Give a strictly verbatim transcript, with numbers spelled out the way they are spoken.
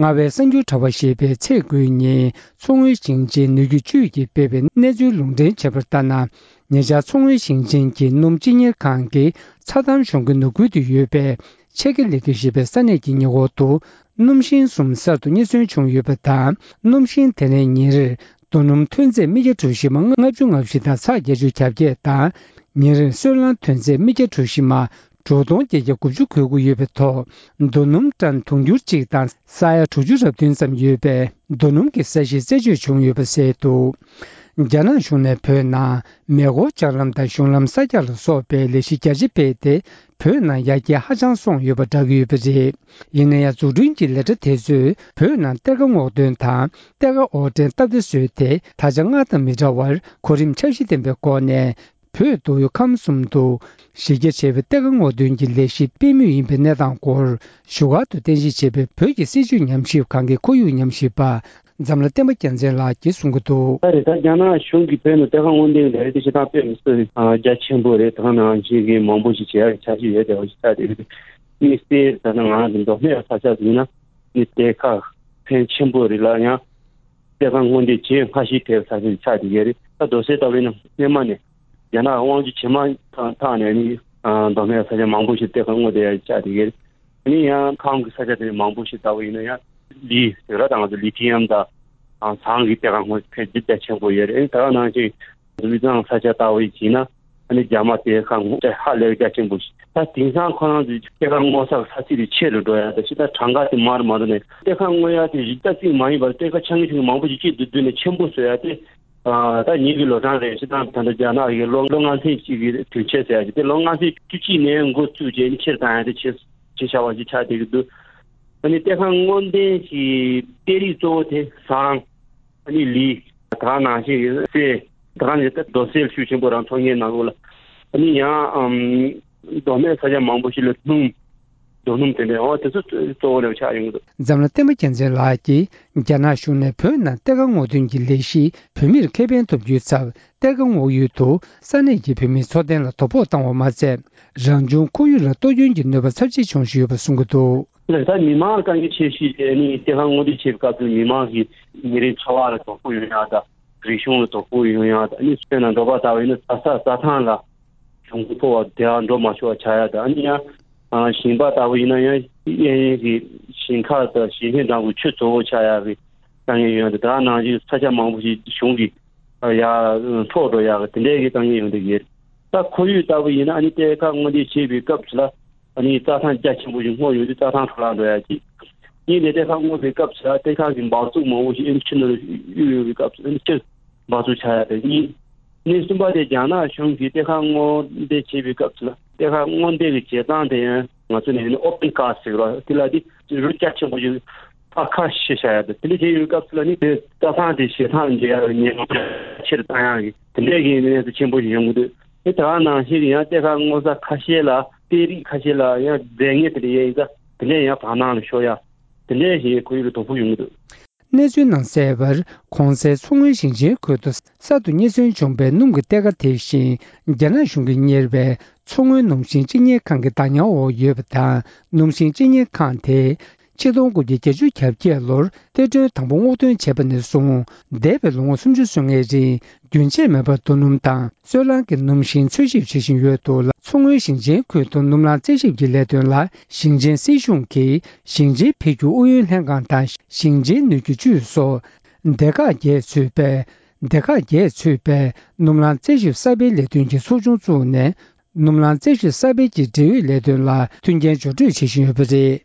རྔ་བའི་གསར་འགྱུར་དྲ་བ་ཞེས་པས་ཚེས་དགུའི་ཉིན་མཚོ་སྔོན་ཞིང་ཆེན་ནུས་རྒྱུ་ཅུས་ཀྱིས་སྤེལ་བའི་གནས་ཚུལ་ལུང་འདྲེན་བྱས་པར་ལྟར་ན། ཉེ་ཆར་མཚོ་སྔོན་ཞིང་ཆེན་གྱི་སྣུམ་སྤྱི་གཉེར་ཁང་གི་ཚྭ་འདམ་གཞུང་གི་ནུབ་ཁུལ་དུ་ཡོད་པའི་ཆེ་ཀེ་ལི་ཀེ་ཞེས་པའི་ས་གནས་ཀྱི་ཉེ་འཁོར་དུ་སྣུམ་ཤིང་གསུམ་གསར་དུ་རྙེད་སོན་བྱུང་ཡོད་པ་དང་། སྣུམ་ཤིང་དེ་ནས་ཉིན་རེར་རྡོ་སྣུམ་ཐོན་རྫས་མི་བརྒྱ་གྲུ་བཞི་མ་ལྔ་བཅུ་ང་བཞི་དང་ཚེག་བརྒྱད་ཅུ་གྱ་བརྒྱད་དང་། ཉིན་རེར་སོལ་རླངས་ཐོན་རྫས་མི་བརྒྱ་གྲུ་བཞི་མ་དྲུག་སྟོང་བརྒྱད་བརྒྱ་དགུ་བཅུ་འགོས་ཀྱི་ཡོད་པའི་ཐོག་རྡོ་སྣུམ་ཊན་དུང་ཕྱུར་གཅིག་དང་ས་ཡ་དྲུག་ཅུ་རབ་བདུན་ཙམ་ཡོད་པའི་རྡོ་སྣུམ་གྱི་ས་གཞི་རྩད་གཅོད་བྱུང་ཡོད་པ་གསལ་འདུག་རྒྱ་ནག་གཞུང་ནས་བོད་ནང་མེ་འཁོར་ལྕགས་ལམ་དང་གཞུང་ལམ་གསར་རྒྱག་ལ་སོགས་པའི་ལས་གཞི་རྒྱ་ཆེ་སྤེལ་ཏེ། བོད་ནང་ཡར་རྒྱས་ཧ་ཅང་སོང་ཡོད་པ་བསྒྲགས་ཀྱི་ཡོད་པ་རེད། ཡིན་ན་ཡང་། འཛུགས་སྐྲུན་གྱི་ལས་གྲྭ་དེ་ཚོས་བོད་ནང་གཏེར་ཁ་སྔོག་འདོན་དང་། གཏེར་ཁ་དབོར་འདྲེན་སྟབས་བདེ་བཟོས་ཏེ། ད་ཆ་སྔར་དང་མི་འདྲ་བར་གོ་རིམ་འཆར་གཞི་ལྡན་པའི་སྒོ་ནས། བོད་མདོ་དབུས་ཁམས་གསུམ་དུ་གཞི་རྒྱ་ཆེ་བའི་གཏེར་ཁ་སྔོག་འདོན་གྱི་ལས་གཞི་སྤེལ་མུས་ཡིན་པའི་གནས་སྟངས་སྐོར་ཞུ་སྒར་དུ་རྟེན་གཞི་བྱས་པའི་བོད་ཀྱི་སྲིད་བྱུས་ཉམས་ཞིབ་ཁང་གི་ཁོར་ཡུག་ཉམས་ཞིབ་པ་འཛམ་ལྷ་བསྟན་པ་རྒྱལ་མཚན་ལགས་ཀྱིས་གསུང་གི་འདུག་ད་རེས་ད་རྒྱ་ནག་གཞུང་གིས་བོད་ནང་གཏེར་ཁ་སྔོག་འདོན་ལས་རིགས་ཞེ་དྲག་སྤེལ་མི་སྲིད་རྒྱ་ཆེན་པོ་རེད། ད་ནང་བཞིན་གྱི་མང་པོ་ཞིག་བྱེད་ཡག་གི་འཆར་གཞི་ཡོད་དེ་བ་ཞིག་ཆགས་བསྡད་ཡོད། དམིགས་བསལ་ད་ནང་ང་ཚོ་མདོ་སྨད་ས་ཆ་ཡིན་ན་ནི་གཏེར་ཁ་ཕོན་ཆེན་པོ་རེད་ལ། ཡང་གཏེར་ཁ་སྔོག་འདོན་བྱེད་སྔ་ཤོས་ཐེབས་ས་ཆ་ཆགས་བསྡད་ཡོད་རེད། ད་རྡོ་སོལ་ལྟ་བུ་ཡིན་ན་སྔོན་མ་ནས་རྒྱ་ནག་དབང་སྒྱུར་བྱེད་མ་ཐག་ནས་ནི་མདོ་སྨད་ས་ཆ་མང་པོ་ཞིག་གཏེར་ཁ་སྔོག་འདོན་ཡག་ཆགས་བསྡད་ཡོད་རེད། ནི་ཡང་ཁམས་ཀྱི་ས་ཆ་དེ་མང་པོ་ཞིག་ལྟ་བུ་ཡིན་ན་ཡང་ལི་ཟེར་ར་དང་ང་ཚོ་ལི་ཐི་ཡམ་དང་ཟངས་ཀྱི་གཏེར་ཁ་སྔོག་ཕལ་ཆེར་རྒྱ་ཆེན་པོ་ཡོད་རེད། ད་ག་ནང་བཞིན་དབུས་གཙང་ས་ཆ་ལྟ་བུ་ཡིན་ན་ཨ་ནི་རྒྱ་མ་གཏེར་ཁ་སྔོག་ཧ་ལས་རྒྱ་ཆེན་པོ་ཞིག་ད་དེང་སང་ཁོ་རང་ཚོའི་གཏེར་ཁ་སྔོག་ས་ས་ཚིགས་དེ་ཆེ་རུ་འགྲོ་ཡ་ད་ཕྱི་ད་གྲངས་ཀ་དེ་མར་མར་ནས་གཏེར་ཁ་སྔོག་ཡ་དེ་རི་རྩ་གཅིག་མ་ཡིན་པར་གཏེར་ཁ་ཆུང་ཆུང་མང་པོ་ཞིག་གཅིག་ཏུ་བསྡུས་ནས་ཆེན་པོ་བཟོ་ཡ་དེ། ད་ཉིན་གྱི་ལོ་གྲངས་རེ་བཞིན་དང་ད་ལྟ་རྒྱ་ནག་གི་ལོ་ལོ་ལྔ་ཚན་གཅིག་གི་དུས་ཆེན་ཟེར་ཡ་ཅིག་དེ་ལོ་ལྔ་ཚན་བཅུ་གཅིག་ནས་འགོ་བཙུགས་རྗེས་ནི་ཕྱིར་བཏང་ཡ་དེ་བྱེད་བྱེད་བྱ་བ་ཞིག་ཆགས་བསྡད་ཀྱི་འདུག་ཨ་ནི་གཏེར་ཁ་སྔོག་འདོན་གྱི་གཏེར་རིགས་གཙོ་བོ་དེ་ཟངས། ཨ་ནི་ལི། ད་ག་ནང་བཞིན་གསེར། ད་ག་ནི་ད་རྡོ་སོལ་ཤུགས་ཆེན་པོ་རང་འཚོང་མཁན་ནང་ལོགས་ལ། ཨ་ནི་ཡང་ཨམ། མདོ་སྨད་ས་ཆ་མང་པོ་ཞིག་ལ་སྣུམ། རྡོ་སྣུམ་དེ་འདྲའི་འོ་དེ་ཚོ་གཙོ་བོ་ལ་ཆགས་ཡོང་གི་འདུག་འཛམ་གླིང་བསྟན་པ་རྒྱལ་མཚན་ལགས་ཀྱིས་རྒྱ་ནག་གཞུང་ནས་བོད་ནང་གཏེར་ཁ་སྔོག་འདོན་གྱི་ལས་གཞི་བོད་མིར་ཁེ་ཕན་ཐོབ་རྒྱུའི་ཚབ་གཏེར་ཁ་སྔོག་ཡུལ་དུ་ས་གནས་ཀྱི་བོད་མིའི་འཚོ་རྟེན་ལ་དོ་ཕོག་བཏང་བ་མ་ཚད། རང་བྱུང་ཁོར་ཡུག་ལ་གཏོར་སྐྱོན་གྱི་གནོད་པ་ཚབས་ཆེ་བྱུང་བཞིན་ཡོད་པ་གསུང་གི་འདུག་ལགས། ད་མི་མང་དཀའ་ངལ་ཆེ་ཤོས་དེ་ནི་གཏེར་ཁ་སྔོག་འདོན་བྱེད་པའི་སྐབས་སུ་མི་མང་གི་ཉིན་རེའི་འཚོ་བ་ལ་དོ་ཕོག་ཡོང་ཡག་དང་། རིག་གཞུང་ལ་དོ་ཕོག་ཡོང་ཡག་དང་། ཨ་ནི་དཔེར་ན་འབྲོག་པ་ལྟ་བུ་ཡིན་ན་རྩྭ་ས་རྩྭ་ཐང་ལ་གྱོང་གུན་ཕོག་པ་དེ་ཡང་འགྲོ་མ་ཆོག་པ་ཆགས་ཡག་དང་། ཨ་ནི་ཡང་ཞིང་པ་ལྟ་བུ་ཡིན་ན་ཡང་གཡས་གཡོན་གྱི་ཞིང་ཁ་དང་ཞིང་ཆེན་འགྲམ་གྱི་ཆུ་བཙོ་བོ་ཆགས་ཡག་གི་དཀའ་ངལ་ཡོང་ཡག་དང་། ད་ག་ནང་བཞིན་ས་ཆ་མང་པོ་ཞིག་གཞུང་གིས་ཡར་འཕྲོག་འགྲོ་ཡག་གི་དེ་འདྲའི་གི་དཀའ་ངལ་ཡོང་བསྡད་ཀྱི་ཡོད། ད་ཁོར་ཡུག་ལྟ་བུ་ཡིན་ན་ཨ་ནི་གཏེར་ཁ་སྔོག་འདོན་བྱེད་པའི་སྐབས་སུ་ལ་ཨ་ནི་རྩྭ་ཐང་རྒྱ་ཆེན་པོ་ཞིག་སྔོག་ཡོང་དུས་རྩྭ་ཐང་འཕྲོ་བརླག་འགྲོ་ཡག་གི། གཉིས་ནས་གཏེར་ཁ་སྔོག་པའི་སྐབས་སུ་ལ་གཏེར་ཁ་གི་འབག་བཙུགས་མང་པོ་ཞིག་ཨ་ནི་ཆུ་ནང་གཡུག་ཡོང་བའི་སྐབས་སུ་ཨ་ནི་ཆུ་འབག་བཙུགས་ཆགས་ཡག་དེ་གཉིས། གནས་གསུམ་པ་དེ་རྒྱ་ནག་གཞུང་གིས་གཏེར་ཁ་སྔོག་འདོན་བྱེད་པའི་སྐབས་སུ་ལ་གཏེར་ཁ་སྔོག་འདོན་གྱི་བྱེད་སྟངས་དེ་ཡང་ང་ཚོ་ནས་ཨོ་པན་ཀ་སི་ཟེར་བ་དེ་ལ་དེ་རུ་རྒྱ་ཆེན་པོ་ཞིག་ཕར་ཁ་ཕྱེ་བཞག་ཡག་དང་། དེ་འདྲ་བྱས་ཡོང་སྐབས་སུ་ལ་ནི་དེ་རྩྭ་ཐང་དེ་ཞེད་སྣང་འཇལ་ཡག་ཉེན་ཁ་ཆེ་རུ་བཏང་ཡག་གི་དེ་འདྲའི་གི་གནས་ཚུལ་ཆེན་པོ་ཞིག་ཡོང་གི་འདུག་དེ་ད་ག་ནང་བཞིན་ཡང་གཏེར་ཁ་སྔོག་ས་ཁ་ཤས་ལ་གཏེར་རིགས་ཁ་ཤས་ལ་ཡང་རྫས་ངན་དེ་འདྲ་ཡོད་ཡིན་ཙང་དེ་འདྲ་ཡང་བར་སྣང་ལ་ཤོར་ཡག་དེ་འདྲའི་ཞིག་ཁོར་ཡུག་ལ་དོ་ཕོག་ཡོང་གི་འདུག་གནས་ཚུལ་ནང་གསལ་བར། གོང་གསལ་མཚོ་སྔོན་ཞིང་ཆེན་ཁུལ་དུ་གསར་དུ་རྙེད་སོན་བྱུང་བའི་སྣུམ་གྱི་གཏེར་ཁ་དེ་བཞིན། རྒྱ་ནག་གཞུང་གིས་གཉེར་བའི་མཚོ་སྔོན་སྣུམ་ཞིང་སྤྱི་གཉེར་ཁང་གི་བདག་ཉར་འོག་ཡོད་པ་དང་། སྣུམ་ཞིང་སྤྱི་གཉེར་ཁང་དེས་ཆིག་སྟོང་དགུ་བརྒྱ་བརྒྱད་ཅུ་གྱ་བརྒྱད་ལོར་གཏེར་སྒྲོན་དང་པོ་སྔོག་འདོན་བྱས་པ་ནས་བཟུང་། འདས་པའི་ལོ་ངོ་སུམ་ཅུ་སོ་ལྔའི་རིང་རྒྱུན་ཆད་མེད་པར་རྡོ་སྣུམ་དང་སོལ་རླངས་ཀྱི་སྣུམ་ཞིང་འཚོལ་ཞིབ་བྱེད་བཞིན་ཡོད་འདུག་ལ། མཚོ་སྔོན་ཞིང་ཆེན་ཁུལ་དུ་སྣུམ་རླངས་རྩད་ཞིབ་ཀྱི་ལས་དོན་ལ་ཞིང་ཆེན་སྲིད་གཞུང་གིས་ཞིང་ཆེན་འཕེལ་སྒྱུར་ཨུ་ཡོན་ལྷན་ཁང་དང་ཞིང་ཆེན་ནུས་རྒྱུ་ཅུས་སོགས་སྡེ་ཁག་བརྒྱད་ཚུད་པའི་སྡེ་ཁག་བརྒྱད་ཚུད་པའི་སྣུམ་རླངས་རྩད་ཞིབ་གསར་སྤེལ་ལས་དོན་གྱི་ཚོགས་ཆུང་བཙུགས་ནས། སྣུམ་རླངས་རྩད་ཞིབ་གསར་སྤེལ་གྱི་འབྲེལ་ཡོད་ལས་དོན་ལ་མཐུན་རྐྱེན་སྦྱོར་སྤྲོད་བྱེད་བཞིན་ཡོད་པ་རེད།